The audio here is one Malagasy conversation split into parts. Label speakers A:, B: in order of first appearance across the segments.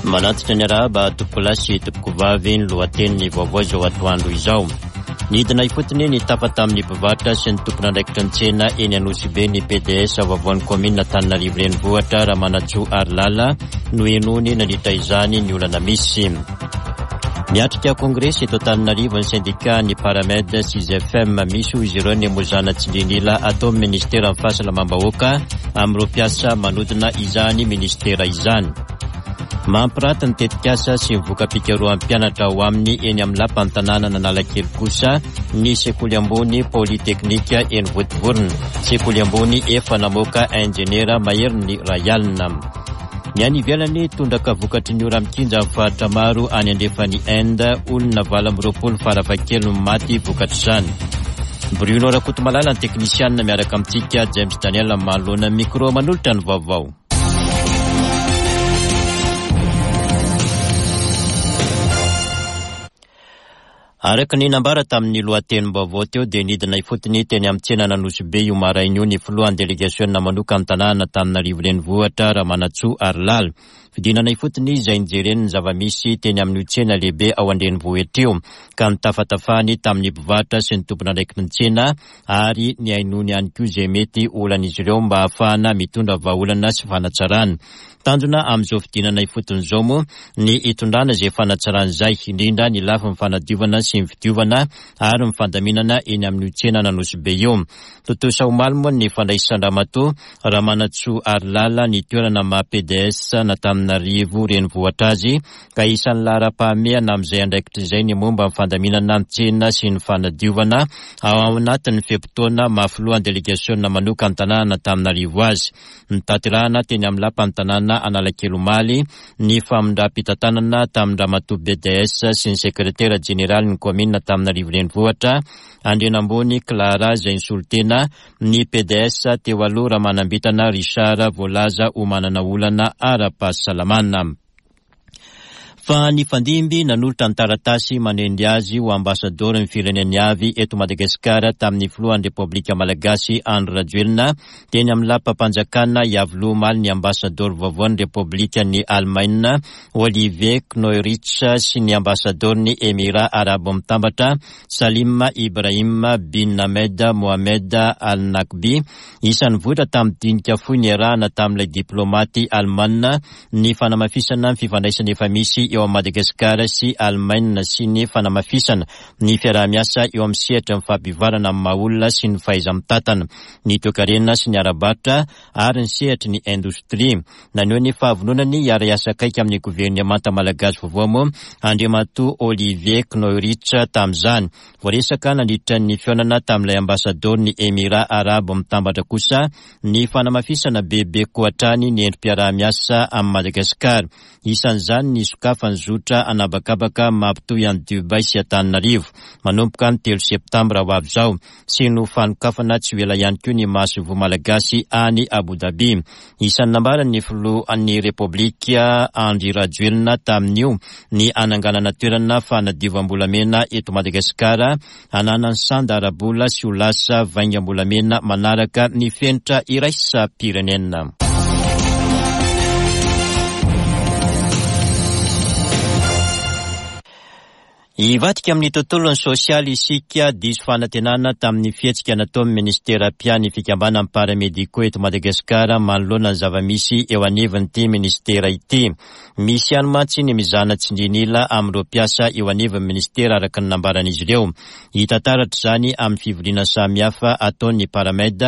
A: Manantitra ny arahaba tompokolahy sy tompokovavy ny lohatenin'ny vaovao izao atoandro izao. Nidina ifotony nitafa tamin'ny mpivarotra sy ny tompon'andraikitry ny tsena eny Anosibe ny PDS vaovaon'ny kaominina Antananarivo Renivohitra Ramanantsoa Harilala nohenoiny nandritra izany ny olana misy. Miatrika kongresy eto Antananarivo ny sendika ny Paramed sy ZFM. Misy hoy izy ireo ny mozana tsindrin'ila ataon'ny ministeran'ny fahasalamam-bahoaka amin'ireo mpiasa manodina izany ministera izany. Mampiraty ny tetikasa sy ny voka-pikarohan'ny mpianatra ao aminy eny amin'ny lapan'ny tanànan'Analakely kosa ny sekoly ambony Polyteknika eny Vontovorona. Sekoly ambony efa namoaka injeniera maherin'ny iray alina. Ny any ivelany, tondraka vokatry ny ora-mikinja amin'ny faritra maro any andrefan'i Inde, olona 28 farafahakeliny maty vokatr'izany. Bruno Rakotomalala ny teknisianina miaraka amintsika, James Daniel manoloana ny micro manolotra ny vaovao. Araka ny nambara tamin'ny lohatenim-baovao teo dia nidina ifotony teny amin'ny tsenan'Anosibe io maraina io ny filohan'ny delegasiona manokan'ny tanànan'Antananarivo Renivohitra, Ramanantsoa Harilala. Fidinana ifotony izay nijereny ny zava-misy teny amin'io tsena lehibe ao an-drenivohitra io ka nitafatafany tamin'ny mpivarotra sy ny tompon'andraikitry ny tsena ary nihainoany ihany koa izay mety olan'izy ireo mba hahafahana mitondra vahaolana sy fanatsarana. Tanjona amin'izao fidinana ifotony izao moa ny hitondrana izay fanatsarana izay, indrindra ny lafiny fanadiovana sy ny fidiovana ary ny fandaminana eny amin'io tsenan'Anosibe io. Tontosa omaly moa ny fandraisan-dRamatoa Ramanantsoa Harilala ny toerana maha PDS an'Antananarivo renivohitra azy ka isan'ny laharam-pahamehana amin'izay andraikitra izay ny momba ny fandaminana ny tsena sy ny fanadiovana ao anatin'ny fe-potoana maha filohan'ny delegasiona manokan'ny tanànan'Antananarivo azy. Notanterahina teny amin'ny lapan'ny tanàna Analakely omaly ny famindram-pitantanana tamin-dRamatoa BDS sy ny sekretera jeneralin'ny kaominina Antananarivo Renivohitra, Andrianambony Clara izay nisolo tena ny PDS teo aloha Ramanambintana Richard voalaza ho manana olana ara-pahasalamana. Fa nifandimby nanolotra ny taratasy manendry azy ho ambasadaoron'ny fireneny avy eto Madagasikara tamin'ny filohan'ny Repoblika Malagasy Andry Rajoelina teny amin'ny lapam-panjakana Iavoloha omaly ny ambasadaoro vaovaon'ny Repoblikan'i Alemaina Olivier Knoerich sy ny ambasadaoron'ny Emirà Arabo Mitambatra Salim Ibrahim bin Ahmed Mohamed Al Naqbi. Isan'ny vohitra tamin'ny dinika fohy niarahana tamin'ilay diplaomaty alemana ny fanamafisana ny fifandraisana efa misy eo amin'i Madagasikara sy Alemaina sy ny fanamafisana ny fiaraha-miasa eo amin'ny sehatry ny fampivoarana amin'ny maha-olona sy ny fahaiza-mitantana, ny toekarena sy ny ara-barotra ary ny sehatry ny indostria. Naneho ny fahavononany hiara-hiasa akaiky amin'ny governemanta malagasy vaovao moa Andriamatoa Olivier Knoerich tamin'izany. Voaresaka nandritra ny fihaonana tamin'ilay ambasadaoron'ny Emirà Arabo Mitambatra kosa ny fanamafisana bebe koa hatrany ny endri-piaraha-miasa amin'i Madagasikara. Isan'izany ny hisokafan'ny zotra an'habakabaka mampitohy an'i Dubaï sy Antananarivo manomboka ny telo septambra ho avy izao sy ny ho fanokafana tsy ho ela ihany koa ny masoivoho malagasy any Abu Dhabi. Isan'ny nambaran'ny filohan'ny Repoblika Andry Rajoelina tamin'io ny hananganana toerana fanadiovam-bolamena eto Madagasikara hananany sanda ara-bola sy ho lasa vaingam-bolamena manaraka ny fenitra iraisam-pirenena. Hivadika amin'ny tontolon'ny sosialy isika, diso fanantenana tamin'ny fihetsika nataon'ny minisitera mpiahy ny fikambanan'ny paramédicaux eto Madagasikara manoloana ny zava-misy eo anivon'ity minisitera ity. Misy ihany mantsy ny mizana tsindrin'ila amin'ireo mpiasa eo anivon'ny minisitera araka ny nambaran'izy ireo. Hita taratra izany amin'ny fivoriana samihafa ataon'ny Paramed.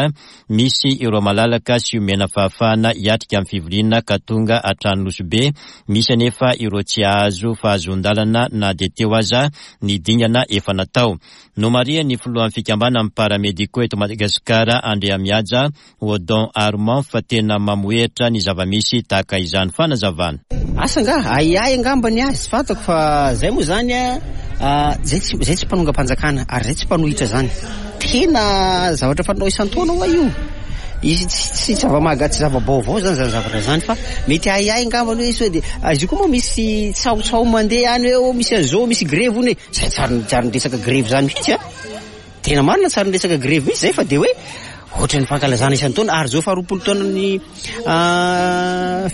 A: Misy ireo malalaka sy omena fahafahana hiatrika ny fivoriana ka tonga hatrany Nosy Be, misy anefa ireo tsy hahazo fahazoan-dalana na dia teo aza ny dingana efa natao. Nomarihan'ny filohan'ny fikambanan'ny Paramédicaux eto Madagasikara, Andriamihaja Odon Armand fa tena mamohehitra ny zava-misy tahaka izany. Fanazavana.
B: Asa angaha? Ahiahy angamba ny ahy, tsy fantako fa zay moa zany a, zay tsy zay tsy mpanongam-panjakana ary zay tsy mpanohitra zany. Tena zavatra fanao isan-taona hoa io. Izy tsy tsy zava-mahaga tsy zava-baovao zany zany zavatra zany fa mety ahiahy angambany hoe sao dia izy io koa moa misy tsahotsao mandeha any hoe oh misy an'izao misy grevy hono e. Zay tsy ary tsy ary niresaka grevy zany mihitsy a. Tena marina tsy ary niresaka grevy mihitsy zay fa dia hoe. Ohatran'ny fankalazana isan-taona ary izao faha-20 taonan'ny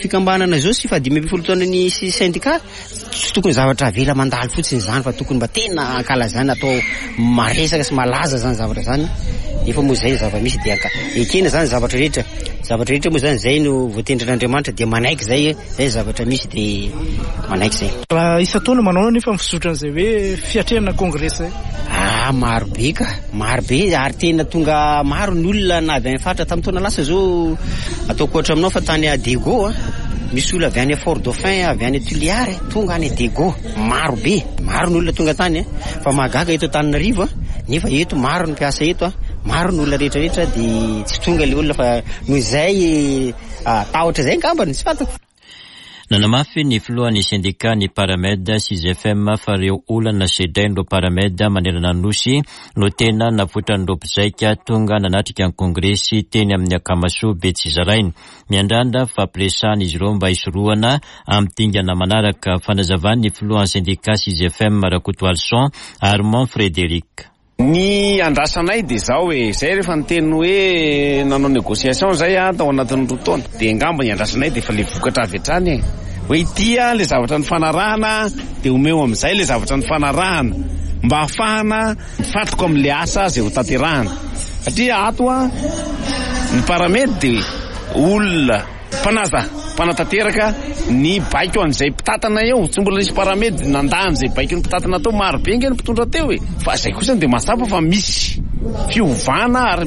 B: fikambanana izao sy faha-15 taonan'ny syndicat, tsy tokony zavatra avela mandalo fotsiny izany fa tokony mba tena ankalazana, atao maresaka sy malaza izany zavatra izany. Nefa moa izay ny zava-misy dia ekena izany zavatra rehetra. Zavatra rehetra moa izany izay no voatendrin'Andriamanitra dia manaiky izay, izay ny zavatra misy dia manaiky izay.
C: Raha isan-taona manao anefa ny fizotran'izay hoe fiatrehana kongresy izay?
B: Ah, maro be ka, maro be ary tena tonga maro ny olona na avy any faritra. Tamin'ny taona lasa izao ataoko ohatra aminao fa tany Diego a, misy olona avy any Fort Dauphin, avy any Tuléar tonga any Diego, maro be, maro ny olona tonga tany a. Fa mahagaga eto Antananarivo a, nefa eto maro ny mpiasa eto a, maro ny olona rehetra rehetra dia tsy tonga ilay olona fa noho izay tahotra izay angambany, tsy fantako.
A: Nanamafy ny filohan'ny sendika ny Paramed sy GFM fa ireo olana sedrain'ireo Paramed manerana ny Nosy no tena navoitran'ireo mpizaika tonga nanatrika ny kongresy teny amin'ny Akamasoa Betsizaraina. Miandrandra fampiresahana izy ireo mba hisorohana amin'ny dingana manaraka, fanazavan'ny filohan'ny sendika CGFM Rakotoalison Armand Frédéric.
D: Ny andrasanay dia izao e, izay rehefa niteny hoe nanao négociation izay aho tao anatin'ny 2 taona, dia angamba ny andrasanay dia efa ilay vokatra avy hatrany e, hoe ity ilay zavatra nifanarahana dia omeo amin'izay ilay zavatra nifanarahana mba hahafahana mifantoka amin'ilay asa izay ho tanterahana, satria ato ny Paramed dia olona. Mpanaza, mpanatanteraka ny baiko an'izay mpitantana eo. Tsy mbola nisy paramed nandà an'izay baikon'ny mpitantana teo. Maro be ange ny mpitondra teo e. Fa izay kosa dia mazava fa misy fiovana ary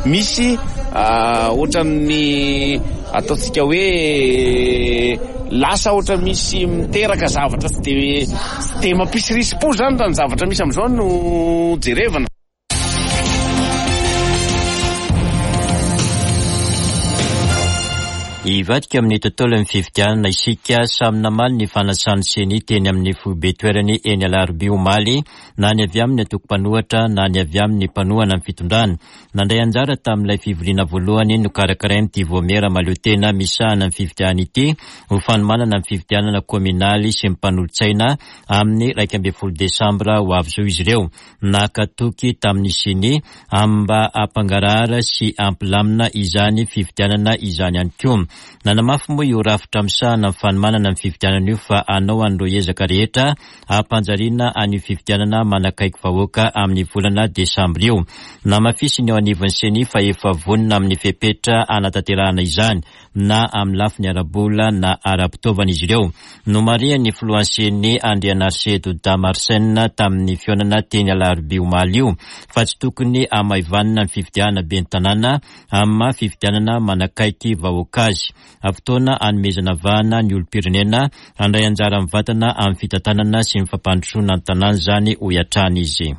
D: misy ohatran'ny ataontsika hoe lasa ohatra misy miteraka zavatra tsy dia tsy dia mampisy risi-po izany raha ny zavatra misy amin'izao no jerevana.
A: Hivadika amin'ny tontolon'ny fifidianana isika. Samy namaly ny fanasan'ny Ceni teny amin'ny foibe toerany eny Alarobia omaly, na ny avy amin'ny antoko mpanohatra na ny avy amin'ny mpanohana ny fitondrana. Nandray anjara tamin'ilay fivoriana voalohany nokarakarain'ity vaomiera mahaleo tena misahana ny fifidianana ity ho fanomanana ny fifidianana kaominaly sy ny mpanolotsaina amin'ny 11 desambra ho avy izao izy ireo. Naka toky tamin'ny Ceni amin'ny mba hampangarahara sy hampilamina izany fifidianana izany ihany koa. Nanamafy moa io rafitra misahana ny fanomanana ny fifidianana io fa hanao an'ireo ezaka rehetra hampanjariana an'io fifidianana manakaiky vahoaka amin'ny volana desambra io. Namafisiny eo anivon'ny Ceni fa efa vonona amin'ny fepetra hanatanterahana izany. na amin'ny lafiny ara-bola na ara-pitaovana izy ireo. Nomarihan'ny filohan'ny Ceni Andrianarisedo Dama Arsène tamin'ny fihaonana teny Alarobia omaly io fa tsy tokony hamaivanina ny fifidianana ben'ny tanàna amin'ny maha fifidianana manakaiky vahoaka azy. Fotoana hanomezana vahana ny olom-pirenena handray anjara mivantana amin'ny fitantanana sy ny fampandrosoana ny tanàna izany, hoy hatrany izy.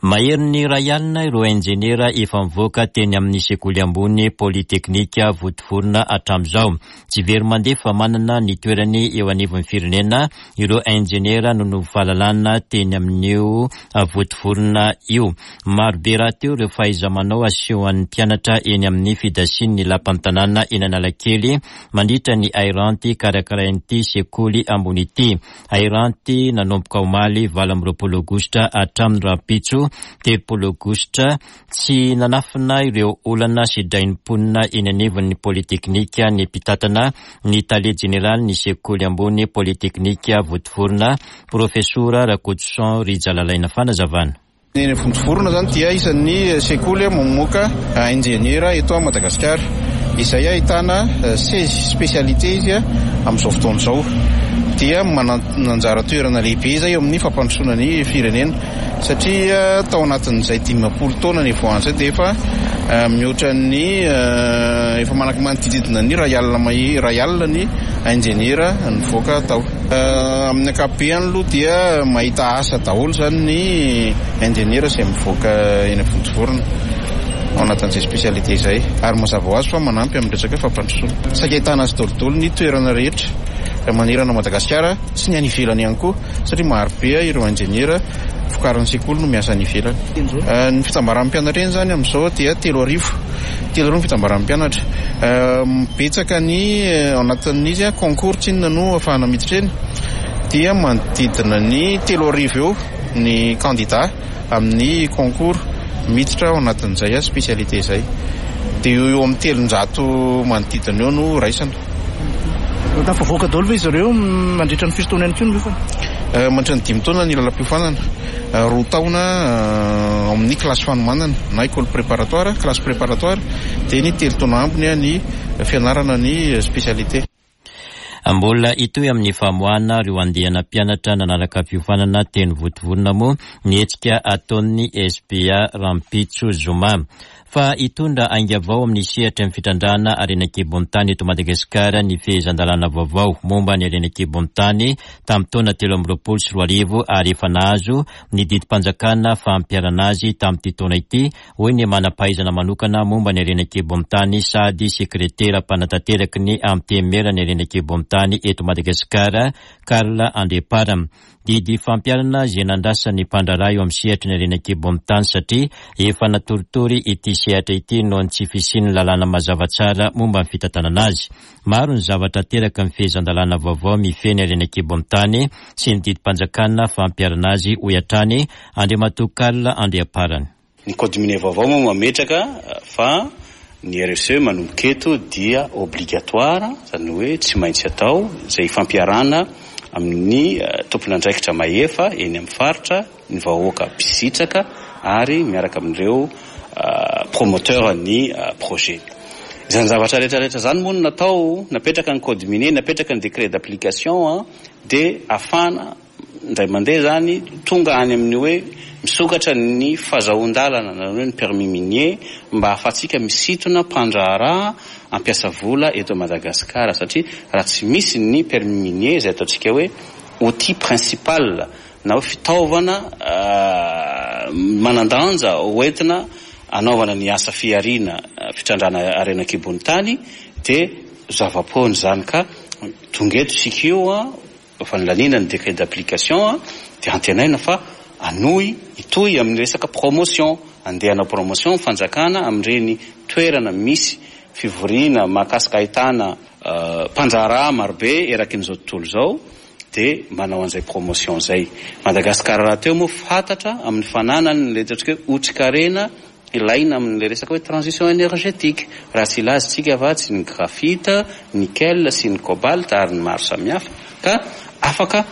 A: Maherin'ny iray alina ireo injeniera efa nivoaka teny amin'ny sekoly ambony Polyteknika Vontovorona hatramin'izao. Tsy very mandeha fa manana ny toerany eo anivon'ny firenena ireo injeniera noho ny fahalalana teny amin'io Vontovorona io. Marobe rahateo ireo fahaiza-manao asehon'ny mpianatra eny amin'ny fidasian'ny lapan'ny tanàna eny Analakely mandritra ny hairanty karakarain'ity sekoly ambony ity. Hairanty nanomboka omaly 28 aogositra hatramin'ny rahampitso 30 aogositra. Tsy nanafina ireo olana sedrain'ny mponina eny anivon'ny Polyteknika ny mpitantana ny tale jeneralin'ny sekoly ambony Polyteknika Vontovorona, Profesora Rakotoson Rijalalaina. Fanazavana.
E: Ny Vontovorona izany dia isan'ny sekoly mamoaka injeniera eto Madagasikara, izay ahitana seize spécialités izy amin'izao fotoana izao. Dia manana anjara toerana lehibe izay eo amin'ny fampandrosoana ny firenena, satria tao anatin'izay 50 taona nivoahana izay dia efa mihoatra ny efa manodididina ny iray alina mahery, iray alina ny injeniera nivoaka tao. Amin'ny ankapobeny aloha dia mahita asa daholo izany ny injeniera izay mivoaka eny Vontovorona ao anatin'izay spécialité izay ary mazava ho azy fa manampy amin'ny resaka fampandrosoana. Saika ahitana azy daholo ny toerana rehetra manerana Madagasikara sy ny any ivelany ihany koa satria maro be ireo injeniera vokarin'ny sekoly no miasa any ivelany. Ny fitambaran'ny mpianatra eny izany amin'izao dia 3000. 3000 ny fitambaran'ny mpianatra. Betsaka ny ao anatin'izy concours tsinona no ahafahana miditra eny. dia manodidina ny 3000 eo ny candidat amin'ny concours miditra ao anatin'izay spécialité izay. Dia eo eo amin'ny 300 manodidina eo no raisina.
C: Tafavoaka daholo ve izy ireo mandritra ny firy taona ihany koa ny miofana?
E: Mandritra ny 5 taona ny lalam-piofanana, 2 taona amin'ny classe fanomanana na école préparatoire, classe préparatoire, dia ny 3 taona ambiny ny fianarana ny spécialité.
A: Mbola hitohy amin'ny famoahana ireo andiana mpianatra nanaraka fiofanana teny Vontovorona moa ny hetsika ataon'ny SPA rahampitso zoma. Fa hitondra ainga vao amin'ny sehatry ny fitrandrahana harena an-kibon'ny tany eto Madagasikara ny fehezan-dalàna vaovao momba ny harena an-kibon'ny tany tamin'ny taona 2023 ary efa nahazo ny didim-panjakana fampiharana azy tamin'ity taona ity, hoy ny manam-pahaizana manokana momba ny harena an-kibon'ny tany sady sekretera mpanatanteraky ny Antenimieran'ny harena an-kibon'ny tany eto Madagasikara, Karl Andriampara. Didy fampiharana izay nandrasan'ny mpandraharaha eo amin'ny sehatry ny harena an-kibon'ny tany satria efa natoritory ity sehatra ity noho ny tsy fisian'ny lalàna mazava tsara momba ny fitantanana azy. Maro ny zavatra ateraky ny fehezan-dalàna vaovao mifehy ny harena an-kibon'ny tany sy ny didim-panjakana fampiharana azy, hoy hatrany Andriamatoa Karl Andriamparany.
F: Ny code minier vaovao moa mametraka fa ny RSE manomboka eto dia obligatoire, izany hoe tsy maintsy atao, izay ifampiarahana amin'ny tompon'andraikitra mahefa eny amin'ny faritra, ny vahoaka mpisitraka ary miaraka amin'ireo promoteur ny projet. Izany zavatra rehetra rehetra izany moa no natao, napetraka ny code minier, napetraka ny décret d'application dia ahafahana Indray mandeha izany, tonga any amin'ny hoe misokatra ny fazahoan-dalana na hoe ny permis minier mba ahafahantsika misintona mpandraharaha hampiasa vola eto Madagasikara satria raha tsy misy ny permis minier izay ataontsika hoe outil principal na hoe fitaovana manan-danja hoentina hanaovana ny asa fihariana fitrandrahana harena an-kibon'ny tany dia zava-poana izany ka tonga eto isika io Efa nolaniana ny décret d'application dia antenaina fa hanohy hitohy amin'ny resaka promotion, handeha hanao promotion ny fanjakana amin'ireny toerana misy fivoriana mahakasika ahitana mpandraharaha marobe erakin'izao tontolo izao dia manao an'izay promotion izay. Madagasikara rahateo moa fantatra amin'ny fananany ilay ataontsika hoe otrikarena Ilaina amin'ilay resaka hoe transition énergétique. Raha tsy hilaza isika fa tsy ny graphite, nickel sy ny cobalt ary ny maro samihafa ka afaka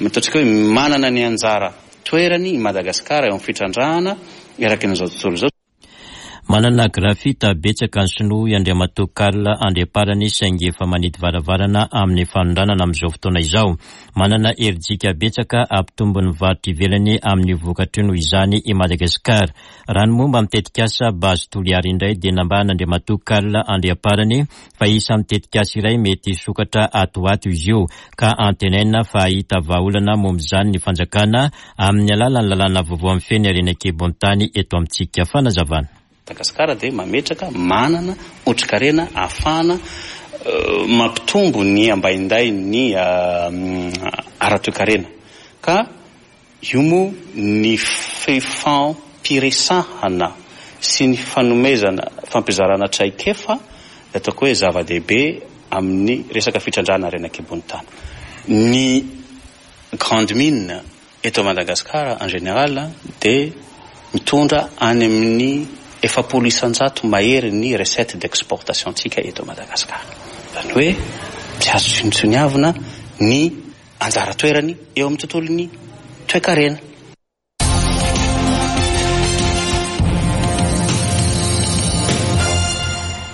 F: ataontsika hoe manana ny anjara toerany i Madagasikara eo amin'ny fitrandrahana eraky an'izao tontolo izao.
A: Manana graphite betsaka ny sinoa hoy Andriamatoa Karl Andriamparany saingy efa manidy varavarana amin'ny fanondranana amin'izao fotoana izao. Manana herijika betsaka hampitombo ny varotra ivelany amin'io vokatra io noho izany i Madagasikara. Raha ny momba ny tetikasa Base Toliara indray dia nambaran'Andriamatoa Karl Andriamparany fa isan'ny tetikasa iray mety hisokatra ato ho ato izy io ka antenaina fa hahita vahaolana momba izany ny fanjakana amin'ny alalan'ny lalàna vaovao mifehy ny harena an-kibon-tany eto amintsika. Fanazavana.
F: Madagasikara dia mametraka manana otrikarena ahafahana mampitombo ny ambaindain'ny ara-toekarena ka Io moa ny fifampiresahana sy ny fanomezana fampizarana traikefa dia ataoko hoe zava-dehibe amin'ny resaka fitrandrahana harena an-kibon'ny tany. Ny grande mine eto Madagascar en général dia mitondra any amin'ny 40% mahery ny recette d'exportation-tsika eto Madagascar. Izany hoe tsy azo tsinontsiniavina ny anjara toerany eo amin'ny tontolon'ny toekarena.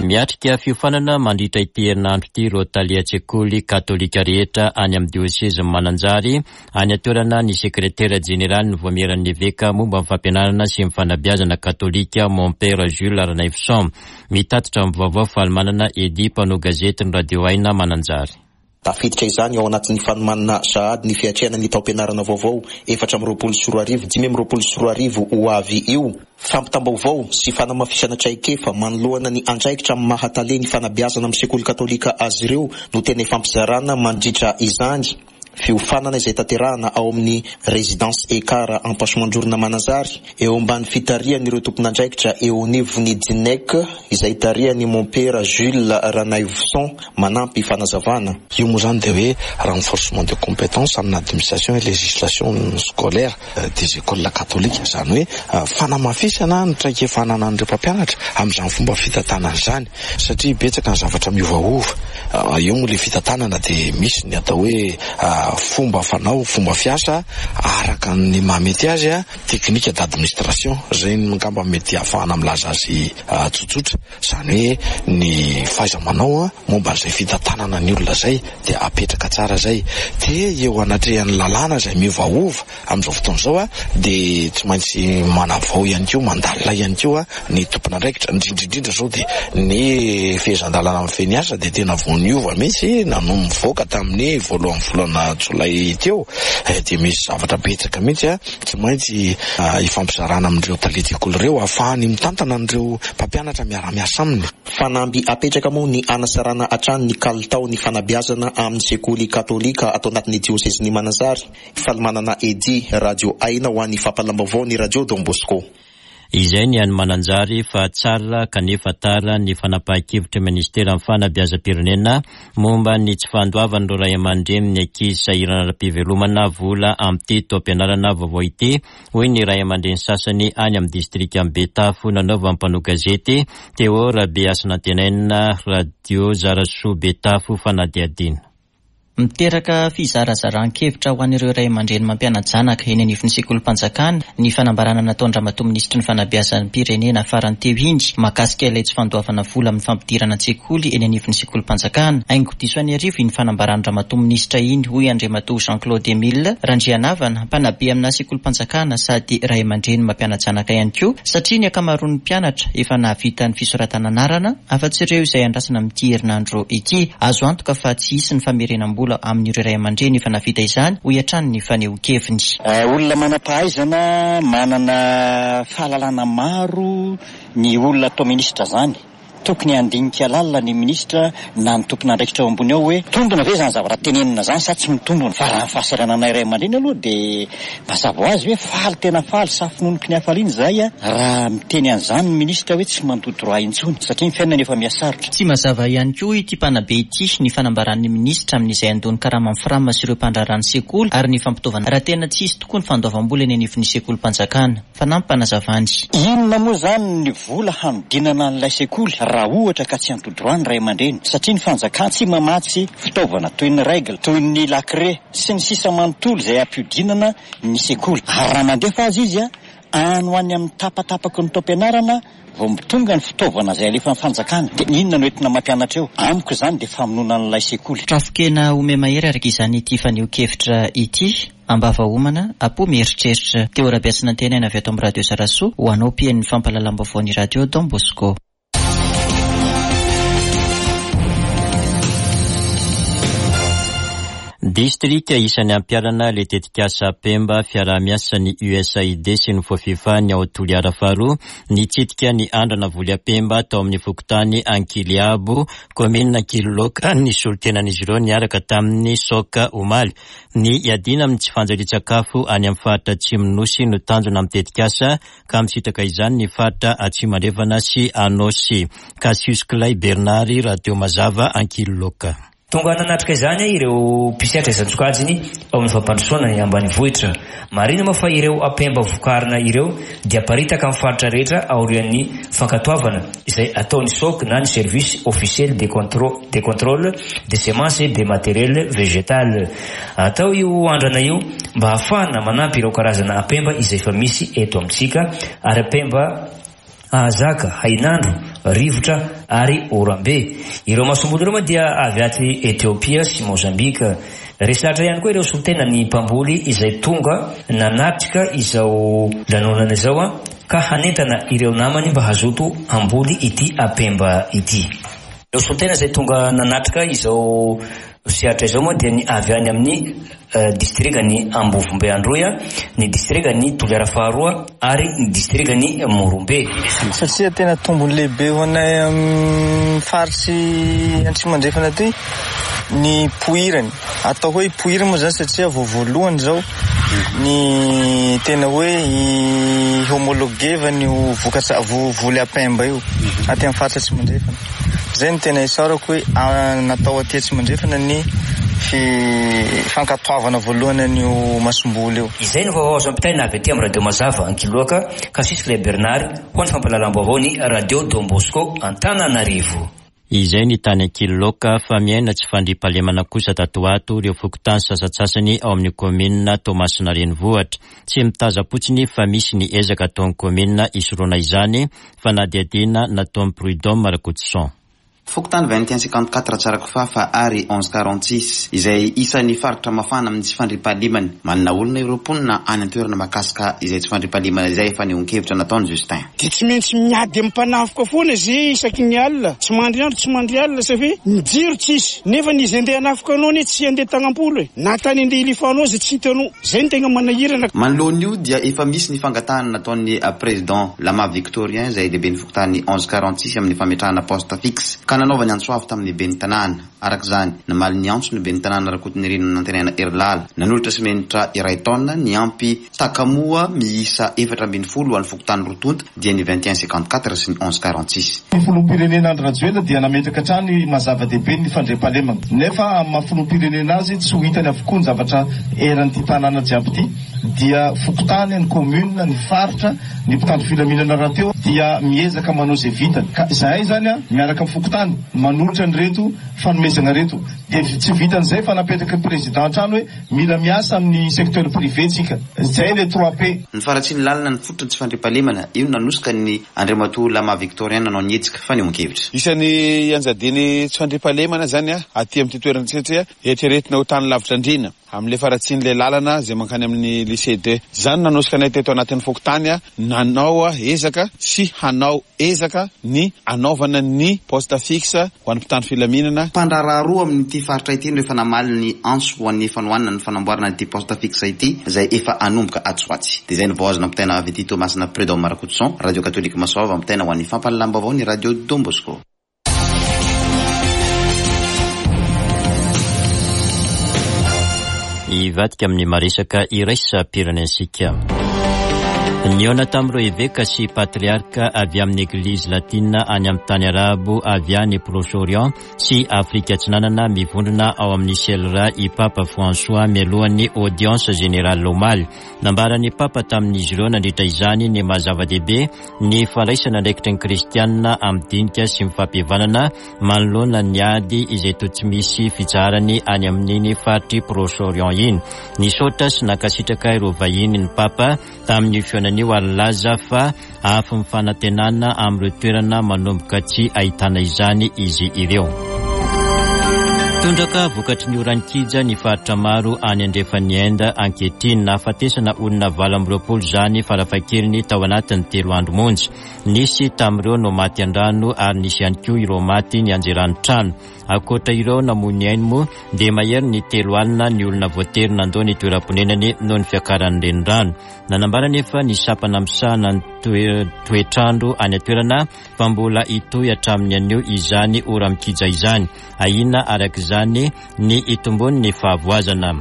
A: Miatrika fiofanana mandritra ity herinandro ity ireo tale an-tsekoly katolika rehetra any amin'ny diosezin'i Mananjary. Any an-toerana ny sekretera jeneralin'ny Vaomieran'ny Eveka momba ny fampianarana sy ny fanabeazana katolika Mompera Jules Ranaivoson. Mitatitra ny vaovao Falimanana Eddy, mpanao gazetin'ny Radio Aina Mananjary.
G: Tafiditra izany ao anatin'ny fanomanana sahady ny fiatrehana ny taom-pianarana vaovao 2024 2025 ho avy io. Fampitam-baovao sy fanamafisana traikefa manoloana ny andraikitra amin'ny maha tale ny fanabeazana amin'ny sekoly katolika azy ireo no tena ifampizarana mandritra izany. Fiofanana izay tanterahana ao amin'ny Résidence Ekar Ampasimandrorona Mananjary, eo ambany fitarihan'ireo tompon'andraikitra eo anivon'ny Dnec izay tarihan'i Mompera Jules Ranaivoson manampy fanazavana.
H: Io moa izany dia hoe renforcement de compétences amina administration et législation scolaire des écoles catholiques, izany hoe fanamafisana ny traikefa ananan'ireo mpampianatra amin'izany fomba fitantanana izany. Satria betsaka ny zavatra miovaova. Eo moa ilay fitantanana dia misy ny atao hoe fomba fanao, fomba fiasa araka ny mahamety azy, technique d'administration, izay angamba mety ahafahana milaza azy tsotsotra. Izany hoe ny fahaiza-manao momba an'izay fitantanana ny olona izay dia apetraka tsara izay. Dia eo anatrehan'ny lalàna izay miovaova Amin'izao fotoana izao dia tsy maintsy manavao ihany koa, mandalina ihany koa ny tompon'andraikitra, indrindra indrindra izao dia ny fehezan-dalàna mifehy ny asa dia tena vao niova mihitsy nanomboka nivoaka tamin'ny voalohan'ny volana jolay teo dia misy zavatra betsaka mihitsy tsy maintsy ifampizarana amin'ireo talen-tsekoly ireo ahafahany mitantana an'ireo mpampianatra miara-miasa aminy.
G: Fanamby apetraka moa ny hanatsarana hatrany ny kalitaon'ny fanabeazana amin'ny sekoly katolika ato anatin'ny diosezin'i Mananjary. Falimanana Eddy, Radio Aina ho an'ny fampahalam-baovao ny Radio Don Bosco.
A: Izay ny any Mananjary fa tsara kanefa tara ny fanapahan-kevitry ny Ministeran'ny Fanabeazam-pirenena momba ny tsy fandoavan'ireo ray aman-drenin'ny ankizy sahirana ara-pivelomana vola amin'ity taom-pianarana vaovao ity, hoy ny ray aman-dreny sasany any amin'ny distrikan'i Betafo nanaovan'ny mpanao gazety Théo Rabehasinantenaina Radio Zarasoa Betafo fanadihadiana.
I: Miteraka fizarazaran-kevitra ho an'ireo ray aman-dreny mampiana-janaka eny anivon'ny sekolim-panjakana ny fanambarana nataon-dRamatoa Minisitry ny Fanabeazam-pirenena farany teo iny mahakasika ilay tsy fandoavana vola amin'ny fampidirana an-tsekoly eny anivon'ny sekolim-panjakana. Haingo diso an'arivo iny fanambaran-dRamatoa Minisitra iny, hoy Andriamatoa Jean Claude Emile Randrianavana, mpanabe amina sekolim-panjakana sady ray aman-dreny mampiana-janaka ihany koa satria ny ankamaroan'ny mpianatra efa nahavita ny fisoratana anarana afa-tsy ireo izay andrasana amin'ity herinandro ity. Azo antoka fa tsy hisy ny famerenam-bola amin'ireo ray aman-dreny efa nahavita izany, hoy hatrany ny fanehoan-keviny.
J: Olona manam-pahaizana, manana fahalalana maro ny olona atao minisitra izany. Tokony handinika lalina ny minisitra na ny tompon'andraikitra ao ambony ao hoe mitombina ve izany zavatra tenenina izany sa tsy mitombina. Fa raha ny fahasahirananay ray aman-dreny aloha dia mazava ho azy hoe faly tena faly safononoky ny hafaliana izahay raha miteny an'izany ny minisitra hoe tsy mandoa droit intsony satria ny fiainana efa mihasarotra.
I: Tsy mazava ihany koa ity mpanabe ity ny fanambaran'ny minisitra amin'izay handoa ny karaman'ny Fram sy ireo mpandraharaha ny sekoly ary ny fampitaovana raha tena tsy hisy tokoa ny fandoavam-bola eny anivon'ny sekolim-panjakana. Fanampim-panazavany.
J: Inona moa izany ny vola hanodinana an'ilay sekoly raha ohatra ka tsy anto droit ny ray aman-dreny satria ny fanjakana tsy mamatsy fitaovana toy ny règle, toy ny lakre, sy ny sisa manontolo izay hampiodinana ny sekoly. Ary raha mandefa aza izy any ho any amin'ny tapatapaky ny taom-pianarana vao tonga ny fitaovana izay alefan'ny fanjakana dia inona no entina mampianatra eo? Amiko izany dia famonoana an'ilay sekoly.
I: Trafon-kena ome-mahery araka izany ity fanehoan-kevitra ity. Ambava homana, apo mieritreritra. Teo Rabeasinantenaina avy ato amin'ny Radio Zarasoa ho anao mpihaino ny fampahalalam-baovaon'ny Radio Don Bosco.
A: Distrika isan'ny ampiharana ilay tetikasa Pemba fiaraha-miasan'ny USAID sy ny Fofifa ny ao Toliara faharoa nitsidika ny andrana voly Apemba tao amin'ny fokontany Ankiliabo, kaominina Ankililoaka ny solontenan'izy ireo niaraka tamin'ny Soc omaly. Ny hiadiana amin'ny tsy fanjarian-tsakafo any amin'ny faritra Atsimon'ny Nosy no tanjona amin'ny tetikasa ka misitraka izany ny faritra Atsimo Andrefana sy Anôsy. Cassius Clay Bernard, Radio Mazava, Ankililoaka.
K: Tonga nanatrika izany ireo mpisehatra isan-tsokajiny ao amin'ny fampandrosoana ny ambanivohitra. Marihina moa fa ireo ampemba vokarina ireo dia aparitaka amin'ny faritra rehetra aorian'ny fankatoavana izay ataon'ny SOC na ny Service Officiel de de Contrôle des Semences et des Matériels Végétales. Atao io andrana io mba hahafahana manampy ireo karazana ampemba izay efa misy eto amintsika ary ampemba ahazaka hainandro, rivotra ary oram-be. Ireo masomboly ireo moa dia avy aty Etiopia sy Mozambika. Resy lahatra ihany koa ireo solontenan'ny mpamboly izay tonga nanatrika izao lanonana izao ka hanentana ireo namany mba hazoto hamboly ity ampemba ity. Ireo solontena izay tonga nanatrika izao. mpisehatra izao moa dia ny avy any amin'ny distrikan'i Ambovombe Androy, ny distrikan'i Toliara Faharoa ary ny distrikan'i Morombe.
L: Satria tena tombony lehibe ho anay amin'ny faritry Antsimo Andrefana aty ny poirany. Atao hoe poirany moa zany satria vao voalohany izao ny tena hoe i-homologuer-vana io vokatra voly apemba io aty amin'ny faritra Atsimo Andrefana. Zay no tena isaorako hoe natao aty Atsimo Andrefana ny fankatoavana voalohany an'io masomboly io.
K: Izay no vaovao azo ampitaina avy aty amin'ny Radio Mazava Ankiloaka, Kasisy Bernard ho an'ny fampahalalam-baovao ny Radio Don Bosco Antananarivo.
A: Izay ny tany Ankiloaka fa miaina tsy fandriampahalemana kosa tato ho ato ireo fokontany sasantsasany ao amin'ny kaominina Toamasina Renivohitra. Tsy mitazam-potsiny fa misy ny ezaka ataon'ny kaominina hisorohana izany, fanadihadiana nataon'i Prud'homme Rakotoson.
M: Fokontany 21 54 Tsarakofafa ary 11 46 izay isan'ny faritra mafana amin'ny tsy fandriampahalemana. Manana olana ireo mponina any an-toerana mahakasika izay tsy fandriampahalemana izay fanehoan-kevitra nataon'i Justin.
N: Dia tsy maintsy miady amin'ny mpanafoka foana ze isaky ny alina, tsy mandry andro tsy mandry alina satria ny jiro tsisy, nefa ny izy andeha hanafoka anao anie tsy andeha tagnam-polo e, na tany andeha hilifanao aza tsy hitanao, zay no tegna manahirana.
M: Manoloana io dia efa misy ny fangatahana nataon'ny Président Lama Victorien izay lehiben'ny fokontany 11 46 amin'ny fametrahana poste fixe ka nanaovany antso avo tamin'ny ben'ny tanàna. Araka izany, namaly ny antso ny ben'ny tanàna Rakotonirina Nantenaina Herilala, nanolotra simenitra iray taonina niampy takamoa miisa 14 ho an'ny fokontany roa tonta dia ny 21 54 sy ny 11 46.
O: Ny filoham-pirenena Andry Rajoelina dia nametraka hatrany maha zava-dehibe ny fandriampahalemana. Nefa amin'ny maha filoham-pirenena azy tsy ho hitany avokoa ny zavatra eran'ity tanàna jiaby ity dia fokontany, ny commune, ny faritra, ny mpitandro filaminana rahateo dia miezaka manao izay vitany. Ka izahay izany miaraka amin'ny fokontany manolotra an'ireto fanomezana ireto. Dia tsy vitan'izay fa napetraky ny président hatrany hoe mila miasa amin'ny secteur privé tsika. Izay ilay trois P.
M: Ny faharatsian'ny lalana ny fototry ny tsy fandriampahalemana, io no nanosika ny Andriamatoa Lama Victorien nanao ny hetsika fanehoan-kevitra.
E: Isan'ny ianjadian'ny tsy fandriampahalemana izany aty amin'ity toerana ity satria eritreretina ho tany lavitra andriana. Amin'ilay faharatsian'ilay lalana izay mankany amin'ny Lycée deux. Izany no nanosika anay teto anatin'ny fokontany nanao ezaka sy hanao ezaka ny hanaovana ny poste fixe ho an'ny mpitandro filaminana.
M: Mpandraharaha roa amin'ity faritra ity no efa namaly ny antso ho an'ny fanohanana ny fanamboarana ity poste fixe ity izay efa hanomboka atsy ho atsy. Dia izay no vao azo nampitaina avy aty Toamasina Prud'homme Rakotoson, Radio Katolika Masoava ampitaina ho an'ny fampahalalam-baovao ny Radio Don Bosco.
A: Hivadika amin'ny maresaka iraisam-pirenentsika. Nihaona tamin'ireo eveka sy patriarka avy amin'ny Eglizy Latina any amin'ny tany Arabo avy any Proche-Orient sy Afrika Atsinanana mivondrona ao amin'ny CELRA i Papa François mialohan'ny Audience Générale omaly. Nambaran'ny Papa tamin'izy ireo nandritra izany ny maha zava-dehibe ny fandraisana andraikitry ny kristianina amin'ny dinika sy ny fampihavanana manoloana ny ady izay toa tsy misy fitsaharany any amin'iny faritr'i Proche-Orient iny. Nisaotra sy nankasitraka ireo vahiny ny Papa tamin'io fihaonana io ary nilaza fa afon'ny fanantenana amin'ireo toerana manomboka tsy ahitana izany izy ireo. Tondraka vokatry ny oran-kija ny faritra maro any andrefan'i Inde ankehitriny. Nahafatesana olona 28 izany farafahakeliny tao anatin'ny telo andro monja. Nisy tamin'ireo no maty an-drano ary nisy ihany koa ireo maty nianjeran'ny trano. Ankoatra ireo namoy ny ainy moa dia mahery ny 30 ny olona voatery nandao ny toeram-ponenany noho ny fiakaran'ny renirano. Nanambara anefa ny sampana misahana ny toetr'andro any an-toerana fa mbola hitohy hatramin'ny anio izany ora-mikija izany. Ahiana araka izany ny hitombon'ny fahavoazana.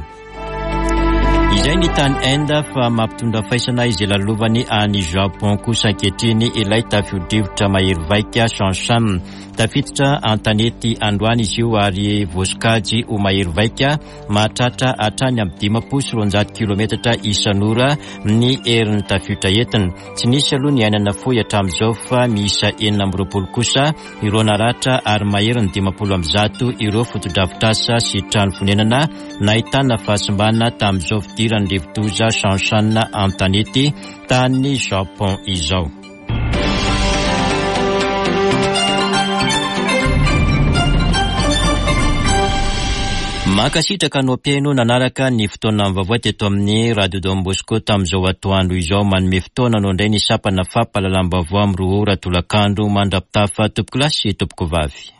A: Izay ny tany Inde fa mampitondra faisana izay lalovany any Japon kosa ankehitriny ilay tafio-drivotra mahery vaika Shanshan. Tafiditra an-tanety androany izy io ary voasokajy ho mahery vaika Mahatratra hatrany amin'ny 250 kilometatra isan'ora ny herin'ny tafiotra entiny. Tsy nisy aloha ny aina nafoy hatramin'izao fa miisa 26 kosa ireo naratra ary maherin'ny 150 ireo fotodrafitrasa sy trano fonenana nahitana fahasimbana tamin'izao fidiran'ny rivodoza Shanshan an-tanety tany Japon izao. Mankasitraka anao mpihaino nanaraka ny fotoana vaovao teto amin'ny Radio Don Bosco tamin'izao atoandro izao. Manome fotoana anao indray ny sampana fampahalalam-baovao amin'ny 2 ora tolakandro mandra-pitafa tompokolahy sy tompokovavy.